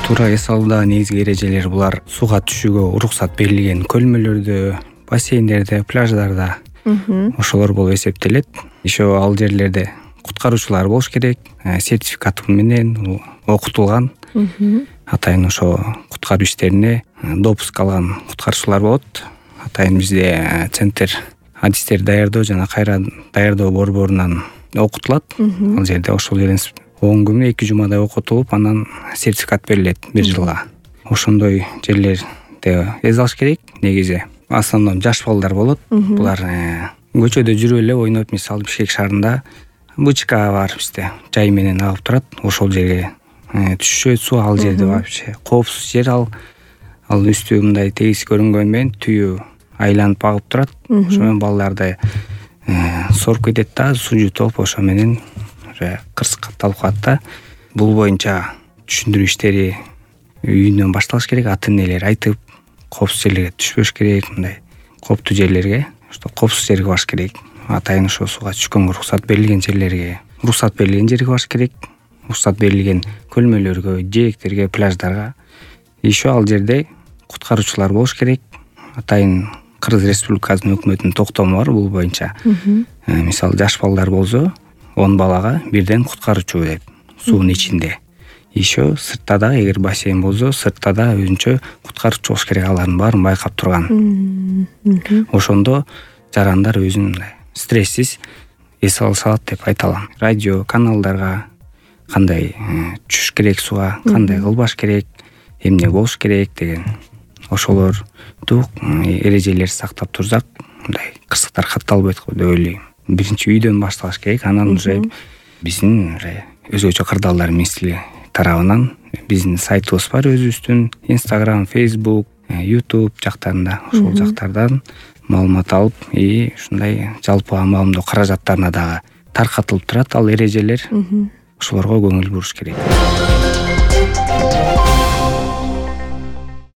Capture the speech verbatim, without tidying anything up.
туура эс алуудагы негизги эрежелер булар сууга түшүүгө уруксат берилген көлмөлөрдө, бассейндерде, пляждарда ошолор болуп эсептелет. Еще ал жерлерде куткаруучулар болуш керек, сертификаты менен окутулган. Атайын ошо куткаруу иштерине допуск алган куткаруучулар болот. Атайын бизде центр адистер даярдоо жана кайра даярдоо борборунан окутулат. Ал жерде ошол жерден он күн эки жумадай окутулуп, анан сертификат берилет бир жылга. Ошондой жерлерде эс алыш керек. Негизи в основном жаш балдар болот. Булар көчөдө жүрүп эле ойноп, мисалы Бишкек шаарында бычка бар бизде, жай менен агып турат. Ошол жерге түшүшөт суу, ал жерде вообще коопсуз жер ал. Ал үстү мындай тегиз көрүнгөнү менен түйүү айланып агып турат. Ошо менен балдарды соруп кетет да, суу жутуп, ошо менен кырсык катталып калат да. Бул боюнча түшүндүрүү иштери үйүнөн башталыш керек. Ата энелер айтып, коопсуз жерлерге түшпөш керек, мындай кооптуу жерлерге, что коопсуз жерге барыш керек. Атайын ошо сууга түшкөнгө уруксат берилген жерлерге, уруксат берилген жерге барыш керек. Уруксат берилген көлмөлөргө, жээктерге, пляждарга. Еще ал жерде куткаруучулар болуш керек. Атайын Кыргыз Республикасынын өкмөтүнүн токтому бар бул боюнча. Мисалы жаш балдар болсо он балага бирден куткаруучу деп суунун ичинде. Еще сыртта да, эгер бассейн болсо, сыртта да өзүнчө куткаруучу болуш керек, алардын баарын байкап турган. Ошондо жарандар өзүн стрессиз эс алыша алат деп айта алам. Радио каналдарга кандай түшүш керек сууга, кандай кылбаш керек, эмне болуш керек деген ошолорду эрежелерди сактап турсак, мындай кырсыктар катталбайт го деп ойлойм. Биринчи үйдөн башталыш керек, анан уже биздин өзгөчө кырдаалдар министрлиги тарабынан биздин сайтыбыз бар өзүбүздүн, Instagram, Facebook, YouTube жактарында, ошол жактардан маалымат алып, и ушундай жалпы маалымдоо каражаттарына дагы таркатылып турат ал эрежелер. Ошолорго көңүл буруш керек.